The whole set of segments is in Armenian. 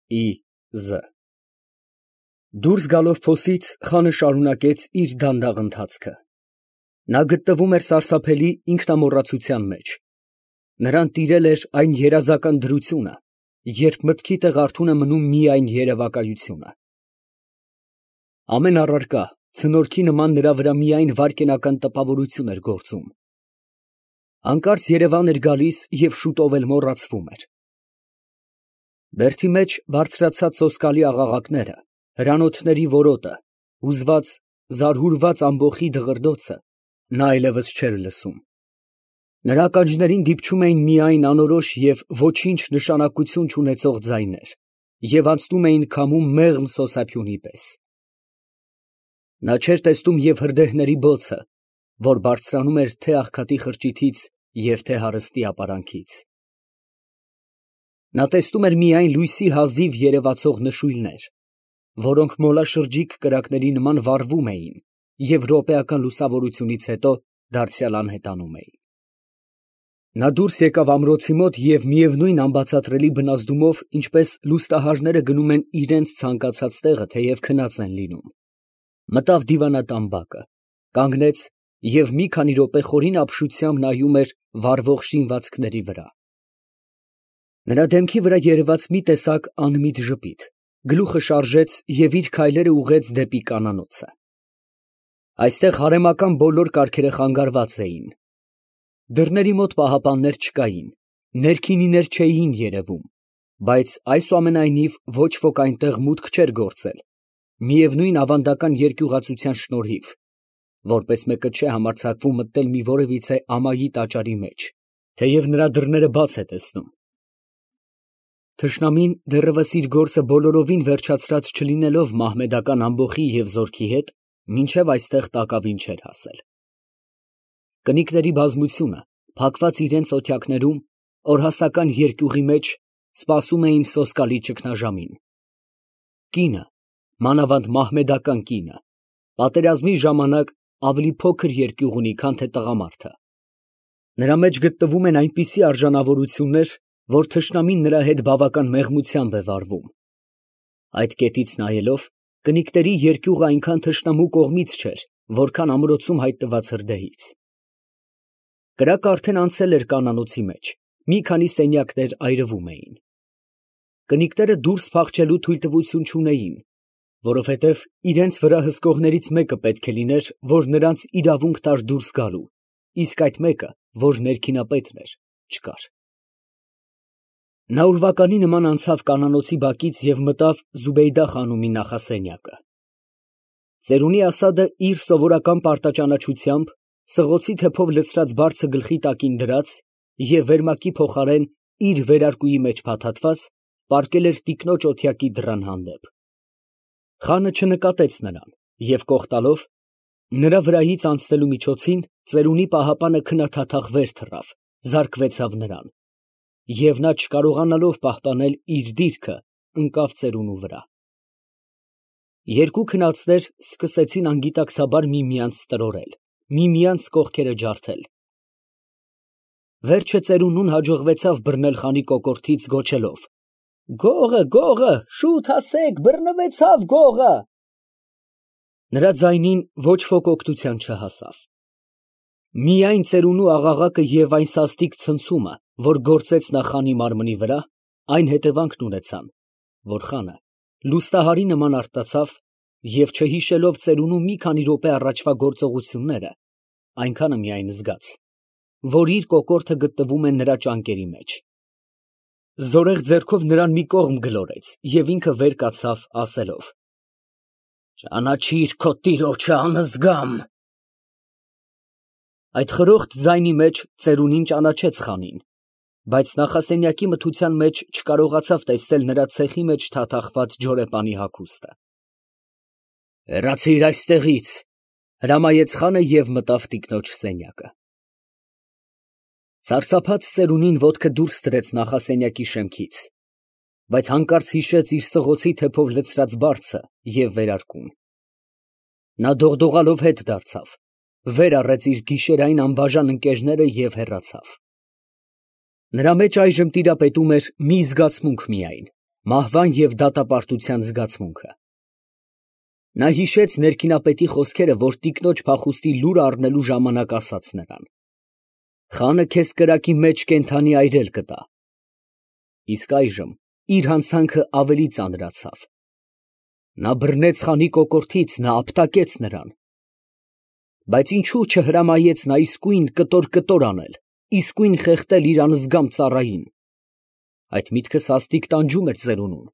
Ի.Զ. Դուրս գալով փոսից, խանը շարունակեց իր դանդաղ ընթացքը. նա գտնվում էր սարսափելի ինքնամոռացության մեջ, նրան տիրել էր այն երազական դրությունը, երբ մտքի տեղ արթուն է մնում միայն երևակայությունը. ամեն առարկա ցնորքի նման նրա վրա միայն վայրկենական տպավորություն էր գործում, հանկարծ երևան էր գալիս և շուտով էլ մոռացվում էր. բերդի մեջ բարձրացած սոսկալի աղաղակները, հրանոթների որոտը, հուզված, զարհուրված ամբոխի դղրդոցը նա այլևս չէր լսում, նրա ականջներին դիպչում էին միայն անորոշ և ոչինչ նշանակություն չունեցող ձայներ և անցնում էին քամու մեղմ սոսափյունի պես. նա չէր տեսնում և հրդեհների բոցը, որ բարձրանում էր թե աղքատի խրճիթից և թե հարստի ապարանքից. նա տեսնում էր միայն լույսի հազիվ երևացող նշույլներ, որոնք մոլաշրջիկ կրակների նման վառվում էին և րոպեական լուսավորությունից հետո դարձյալ անհետանում էին. նա դուրս եկավ ամրոցի մոտ և միևնույն անբացատրելի բնազդումով, ինչպես լուստահարները գնում են իրենց ցանկացած տեղը, թեև քնած են լինում, մտավ դիվանատան բակը, կանգնեց և մի քանի րոպե խորին ապշությամբ նայում էր վառվող շինվածքների վրա. նրա դեմքի վրա երևաց մի տեսակ անմիտ ժպիտ, գլուխը շարժեց և իր քայլերը ուղղեց դեպի կանանոցը. այստեղ հարեմական բոլոր կարգերը խանգարված էին, դռների մոտ պահապաններ չկային, ներքինիներ չէին երևում, բայց այսուամենայնիվ ոչ ոք այնտեղ մուտք չէր գործել, միևնույն ավանդական երկյուղածության շնորհիվ, որպես մեկը չէ համարձակվում մտնել մի որևիցե ամայի տաճարի մեջ, թեև նրա դռները բաց է տեսնում. թշնամին դեռևս իր գործը բոլորովին վերջացրած չլինելով մահմեդական ամբոխի և զորքի հետ, մինչև այստեղ տակավին չէր հասել. կնիկների բազմությունը, փակված իրենց օթյակներում, օրհասական երկյուղի մեջ, սպասում էին սոսկալի ճգնաժամին. կինը, մանավանդ մահմեդական կինը, պատերազմի ժամանակ ավելի փոքր երկյուղ ունի, քան թե տղամարդը, նրա մեջ գտնվում են այնպիսի արժանավորություններ, որ թշնամին նրա հետ բավական մեղմությամբ է վարվում. այդ կետից նայելով, կնիկների երկյուղը այնքան թշնամու կողմից չէր, որքան ամրոցում հայտնված հրդեհից. կրակը արդեն անցել էր կանանոցի մեջ, մի քանի սենյակներ այրվում էին. կնիկները դուրս փախչելու թույլտվություն չունեին, որովհետև իրենց վրա հսկողներից մեկը պետք է լիներ, որ նրանց իրավունք տար դուրս գալու, իսկ այդ մեկը, որ ներքինապետն էր, չկար. նա ուրվականի նման անցավ կանանոցի բակից և մտավ Զուբեյդա խանումի նախասենյակը. ծերունի Ասադը իր սովորական պարտաճանաչությամբ, սղոցի թեփով լցրած բարձը գլխի տակին դրած և վերմակի փոխարեն իր վերարկուի մեջ փաթաթված, պառկել էր տիկնոջ օթյակի դռան հանդեպ. խանը չնկատեց նրան և կող տալով, նրա վրայից անցնելու միջոցին, ծերունի պահապանը քննադատախ վեր թռավ, զարկվեցավ նրան, և նա չկարողանալով պահպանել իր դիրքը, ընկավ ծերունու վրա. երկու քնածներ սկսեցին անգիտակցաբար միմյանց տրորել, միմյանց կողքերը ջարդել. վերջը ծերունուն հաջողվեցավ բռնել խանի կոկորդից գոչելով. «Գողը, գողը, շուտ հասեք, բռնվեցավ գողը»։ նրա ձայնին ոչ ոք օգնության չհասավ. միայն ծերունու աղաղակը և այն սաստիկ ցնցումը, որ գործեց նա խանի մարմնի վրա, այն հետևանքն ունեցան, որ խանը լուստահարի նման արթնացավ և չհիշելով ծերունու մի քանի րոպե առաջվա գործողությունները, այնքանը միայն զգաց, որ իր կոկորդը գտնվում է նրա ճանկերի մեջ, զորեղ ձեռքով նրան մի կողմ գլորեց և ինքը վեր կացավ, ասելով. «Ճանաչիր քո տիրոջը, անզգամ»։ Այդ խրոխտ ձայնի մեջ ծերունին ճանաչեց խանին, բայց նախասենյակի մթության մեջ չկարողացավ տեսնել նրա ցեխի մեջ թաթախված ջորեպանի հագուստը։ «Հեռացիր այստեղից», հրամայեց խանը և մտավ տիկնոջ սենյակը. սարսափած ծերունին ոտքը դուրս դրեց նախասենյակի շեմքից, բայց հանկարծ հիշեց իր սղոցի թեփով լցրած բարձը և վերարկուն. նա դողդողալով հետ դարձավ, վեր առեց իր գիշերային անբաժան ընկերները և հեռացավ. նրա մեջ այժմ տիրապետում էր մի զգացմունք միայն, մահվան և դատապարտության զգացմունքը։ Նա հիշեց ներքինապետի խոսքերը, որ տիկնոջ փախուստի լուրը առնելու ժամանակ ասաց նրան. «Խանը քեզ կրակի մեջ կենդանի այրել կտա»։ Իսկ այժմ իր հանցանքը ավելի ծանրացավ։ Նա բռնեց խանի կոկորդից, նա ապտակեց նրան։ Բայց ինչու չհրամայեց նա իսկույն կտոր անել, իսկույն խեղդել իր անզգամ ծառային։ Այդ միտքը սաստիկ տանջում էր ծերունուն։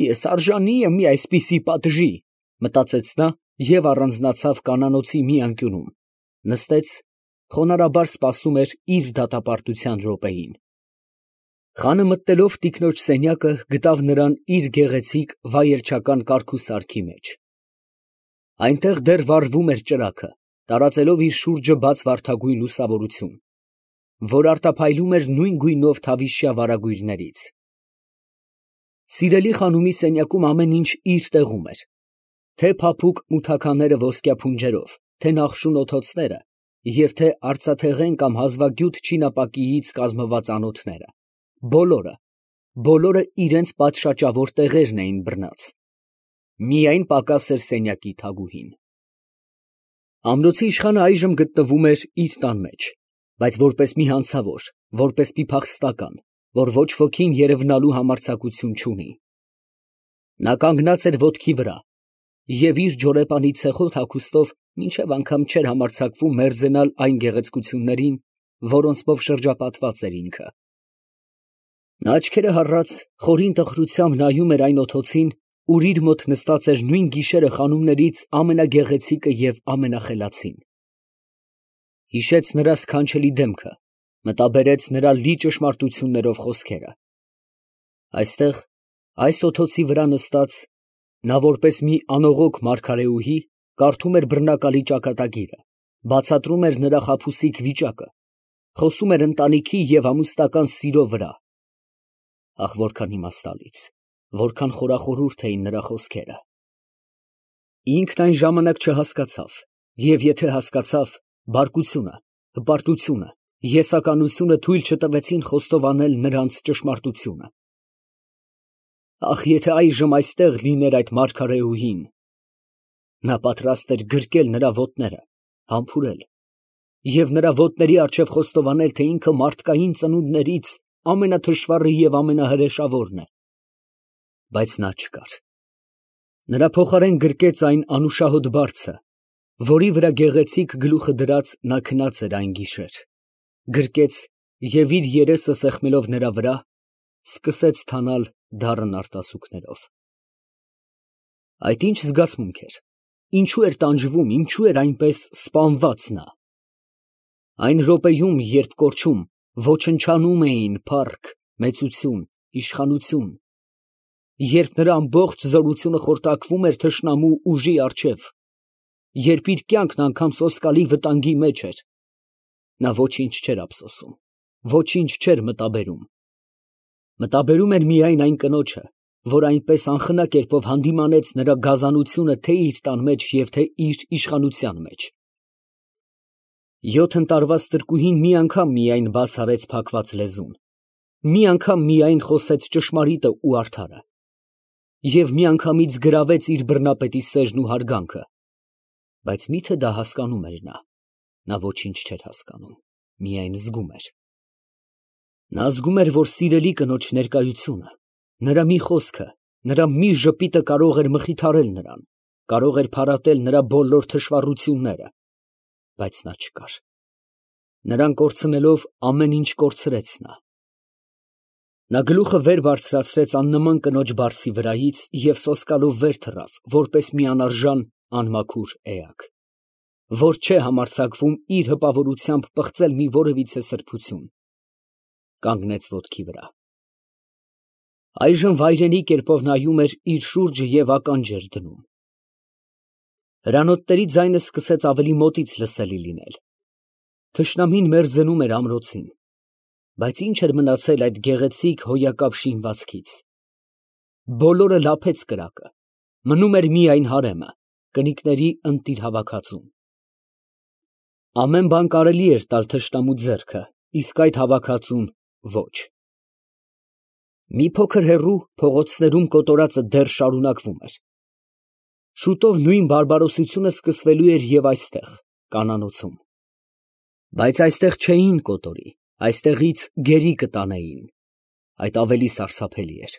Ես արժանի եմ մի այսպիսի պատժի, մտածեց նա և առանձնացավ կանանոցի մի անկյունում, նստեց, խոնարհաբար սպասում էր իր դատապարտության րոպեին։ Խանը մտնելով տիկնոջ սենյակը գտավ նրան իր գեղեցիկ վայելչական կարգուսարքի մեջ։ Այնտեղ դեռ վառվում էր ճրագը, տարածելով իր շուրջը բաց վարդագույն լուսավորություն, որ արտափայլում էր նույն գույնով թավիշյա վարագույրներից։ Սիրելի խանումի սենյակում ամեն ինչ իր տեղում էր, թե փափուկ մութաքանները ոսկյա փունջերով, թե նախշուն օթոցները և թե արծաթեղեն կամ հազվագյուտ չինապակիից կազմված անոթները, բոլորը իրենց պատշաճավոր տեղերն էին բռնած։ Միայն պակաս էր սենյակի թագուհին։ Ամրոցի իշխանը այժմ գտնվում էր իր տան մեջ, բայց որպես մի հանցավոր, որպես մի փախստական, որ ոչ ոքին երևնալու համարձակություն չունի։ Նա կանգնած էր ոտքի վրա և իր ջորեպանի ցեխոտ հագուստով մինչև անգամ չէր համարձակվում մերձենալ այն գեղեցկություններին, որոնցով շրջապատված էր ինքը։ Նա աչքերը հառած, խորին տխրությամբ նայում էր այն օթոցին, ուր իր մոտ նստած էր նույն գիշերը խանումներից ամենագեղեցիկը և ամենախելացին։ Հիշեց նրա սքանչելի դեմքը, մտաբերեց նրա լի ճշմարտություններով խոսքերը։ Այստեղ, այս օթոցի վրա նստած, նա որպես մի անողոք մարգարեուհի կարդում էր բռնակալի ճակատագիրը, բացատրում էր նրա խաբուսիկ վիճակը, խոսում էր ընտանիքի և ամուսնական սիրո վրա։ Ահ, որքան իմաստալից, որքան խորախորհուրդ էին նրա խոսքերը։ Ինքն այն ժամանակ չհասկացավ, և եթե հասկացավ, բարկությունը, հպարտությունը, եսականությունը թույլ չտվեցին խոստովանել նրանց ճշմարտությունը։ Ահ, եթե այժմ այստեղ լիներ այդ մարգարեուհին։ Նա պատրաստ էր գրկել նրա ոտները, համբուրել և նրա ոտների առջև խոստովանել, թե ինքը մարդկային ծնունդներից ամենաթշվառը և ամենահրեշավորն է։ Բայց նա չկար։ Նրա փոխարեն գրկեց այն անուշահոտ բարձը, որի վրա գեղեցիկ գլուխը դրած նա քնած էր այն գիշեր, գրկեց և իր երեսը սեղմելով նրա վրա, սկսեց թանալ դառն արտասուքներով։ Այդ ի՞նչ զգացմունք էր, ինչու էր տանջվում, ինչու էր այնպես սպանված նա։ Այն րոպեում, երբ կորչում, ոչնչանում էին փառք, մեծություն, իշխանություն, երբ նրա ամբողջ զորությունը խորտակվում էր թշնամու ուժի առջև, երբ իր կյանքն անգամ սոսկալի վտանգի մեջ էր, նա ոչինչ չէր ափսոսում, ոչինչ չէր մտաբերում։ Մտաբերում էր միայն այն կնոջը, որ այնպես անխնա կերպով հանդիմանեց նրա գազանությունը թե իր տան մեջ և թե իր իշխանության մեջ։ 7 տարվա ստրկուհին մի անգամ միայն բաց արեց փակված լեզուն, մի անգամ միայն խոսեց ճշմարիտը ու արդարը, և միանգամից գրավեց իր բռնապետի սերն ու հարգանքը։ Բայց մի՞թե դա հասկանում էր նա։ Նա ոչինչ չէր հասկանում, միայն զգում էր։ Նա զգում էր, որ սիրելի կնոջ ներկայությունը, նրա մի խոսքը, նրա մի ժպիտը կարող էր մխիթարել նրան, կարող էր փարատել նրա բոլոր թշվառությունները, բայց նա չկար։ Նրան կորցնելով ամեն ինչ կորցրեց նա։ Նա գլուխը վեր բարձրացրեց աննման կնոջ բարձի վրայից և սոսկալով վեր թռավ, որպես մի անարժան, անմաքուր էակ, որ չէ համարձակվում իր հպավորությամբ պղծել մի որևիցե սրբություն, կանգնեց ոտքի վրա։ Այժմ վայրենի կերպով նայում էր իր շուրջը և ականջ էր դնում։ Հրանոթների ձայնը սկսեց ավելի մոտից լսելի լինել։ Թշնամին մերձենում էր ամրոցին, բայց ինչ էր մնացել այդ գեղեցիկ հոյակապ շինվածքից։ Բոլորը լափեց կրակը, մնում էր միայն հարեմը, կնիկների ընտիր հավաքածուն։ Ամեն բան կարելի էր տալ թշնամու ձեռքը, իսկ այդ հավաքածուն ոչ։ Մի փոքր հեռու փողոցներում կոտորածը դեռ շարունակվում էր։ Շուտով նույն բարբարոսությունը սկսվելու էր և այստեղ, կանանոցում։ Բայց այստեղ չէին կոտորի, այստեղից գերի կտանեին։ Այդ ավելի սարսափելի էր։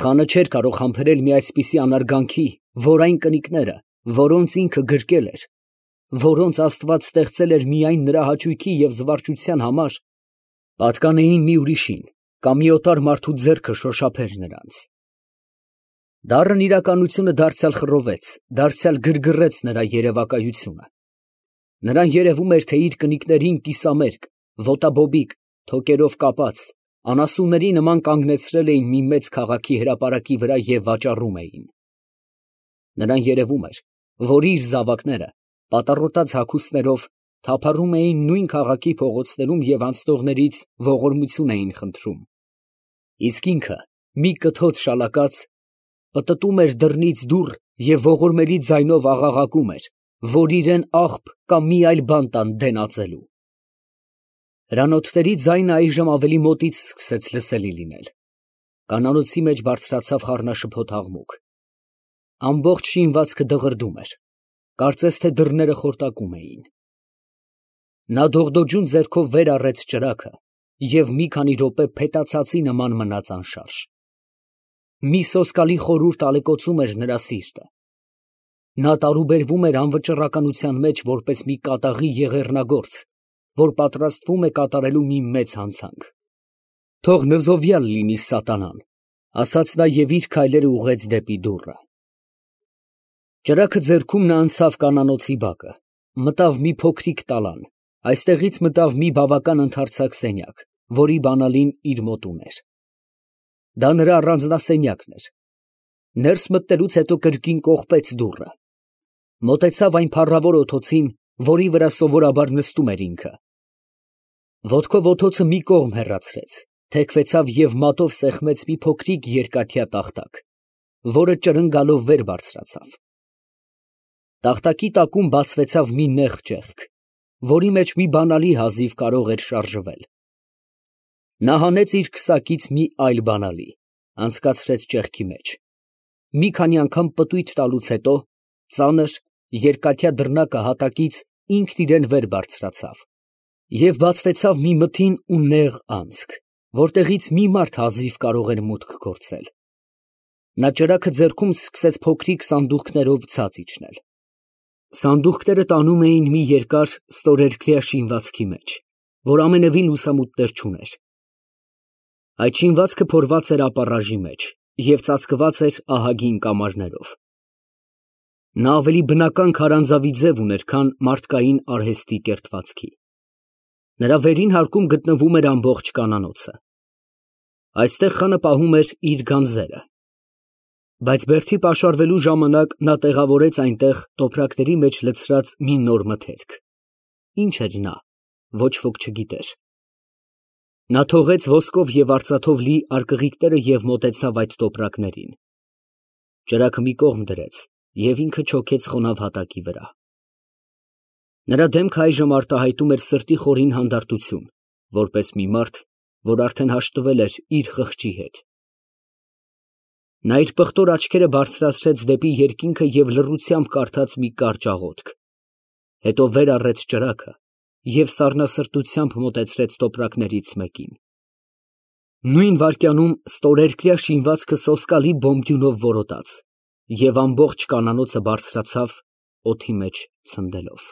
Խանը չէր կարող համբերել մի այսպիսի անարգանքի, որ այն կնիկները, որոնց ինքը գրկել էր, որոնց Աստված ստեղծել էր միայն նրա հաճույքի և զվարճության համար, պատկանեին մի ուրիշին, կամ մի օտար մարդու ձեռքը շոշափեր նրանց։ Դառն իրականությունը դարձյալ խռովեց, դարձյալ գրգռեց նրա երևակայությունը։ Նրան երևում էր, թե իր կնիկներին կիսամերկ, ոտաբոբիկ, թոկերով կապած, անասունների նման կանգնեցրել էին մի մեծ քաղաքի հրապարակի վրա և վաճառում էին։ Նրան երևում էր, որ իր զավակները պատառոտած հագուստներով թափառում էին նույն քաղաքի փողոցներում և անցնողներից ողորմություն էին խնդրում, իսկ ինքը մի կթոց շալակած պտտում էր դռնից դուռ և ողորմելի ձայնով աղաղակում էր, որ իրան աղբ կամ մի այլ բան տան դենածելու։ Հրանոթների ձայնը այժմ ավելի մոտից սկսեց լսելի լինել։ Կանանոցի մեջ բարձրացավ խառնաշփոթ աղմուկ։ Ամբողջ շինվածքը դղրդում էր, կարծես թե դռները խորտակում էին։ Նա դողդոջուն ձեռքով վեր առեց ճրագը և մի քանի րոպե փետացածի նման մնաց անշարժ։ Մի սոսկալի խորհուրդ ալեկոծում էր նրա սիրտը։ Նա տարուբերվում էր անվճռականության մեջ որպես մի կատաղի եղեռնագործ, որ պատրաստվում է կատարելու մի մեծ հանցանք։ Թող նզովյալ լինի սատանան, ասաց նա և իր քայլերը ուղղեց դեպի դուռը։ Ճրագը ձեռքում նա անցավ կանանոցի բակը, մտավ մի փոքրիկ տալան, այստեղից մտավ մի բավական ընդարձակ սենյակ, որի բանալին իր մոտ ուներ։ Դա նրա առանձնասենյակն էր։ Ներս մտնելուց հետո կրկին կողպեց դուռը։ Մոտեցավ այն փառավոր օթոցին, որի վրա սովորաբար նստում էր ինքը։ Ոտքով օթոցը մի կողմ հեռացրեց, թեքվեցավ և մատով սեղմեց մի փոքրիկ երկաթյա տախտակ, որը ճրնգալով վեր բարձրացավ։ Տախտակի տակում բացվեցավ մի նեղ ճեղք, որի մեջ մի բանալի հազիվ կարող էր շարժվել։ Նա հանեց իր քսակից մի այլ բանալի, անցկացրեց ճեղքի մեջ։ Մի քանի անգամ պտույտ տալուց հետո ծանր, երկաթյա դռնակը հատակից ինքն իրան վեր բարձրացավ և բացվեցավ մի մթին ու նեղ անցք, որտեղից մի մարդ հազիվ կարող էր մուտք գործել։ Նա ճրագը ձեռքում սկսեց փոքրիկ սանդուղքներով ցած իջնել։ Սանդուղքները տանում էին մի երկար ստորերկվյա շինվածքի մեջ, որ ամենևին լուսամուտներ չուներ։ Այդ շինվածքը փորված էր ապառաժի մեջ և ծածկված էր ահագին կամարներով։ Նա ավելի բնական քարանձավի ձև ուներ, քան մարդկային արհեստի կերտվածքի։ Նրա վերին հարկում գտնվում էր ամբողջ կանանոցը։ Այստեղ խանը պահում էր իր գանձերը։ Բայց բերդի պաշարվելու ժամանակ նա տեղավորեց այնտեղ տոպրակների մեջ լցրած մի նոր մթերք։ Ինչ էր նա, ոչ ոք չգիտեր։ Նա թողեց ոսկով և արծաթով լի արկղիկները և մոտեցավ այդ տոպրակներին։ Ճրագը մի կողմ դրեց և ինքը չոքեց խոնավ հատակի վրա։ Նրա դեմքը այժմ արտահայտում էր սրտի խորին հանդարտություն, որպես մի մարդ, որ արդեն հաշտվել էր իր խղճի հետ։ Նա իր պղտոր աչքերը բարձրացրեց դեպի երկինքը և լռությամբ կարդաց մի կարճ աղոթք, հետո վեր առեց ճրագը և սառնասրտությամբ մոտեցրեց տոպրակներից մեկին։ Նույն վայրկյանում ստորերկրյա շինվածքը սոսկալի բոմբյունով որոտաց և ամբողջ կանանոցը բարձրացավ, օդի մեջ ցնդելով։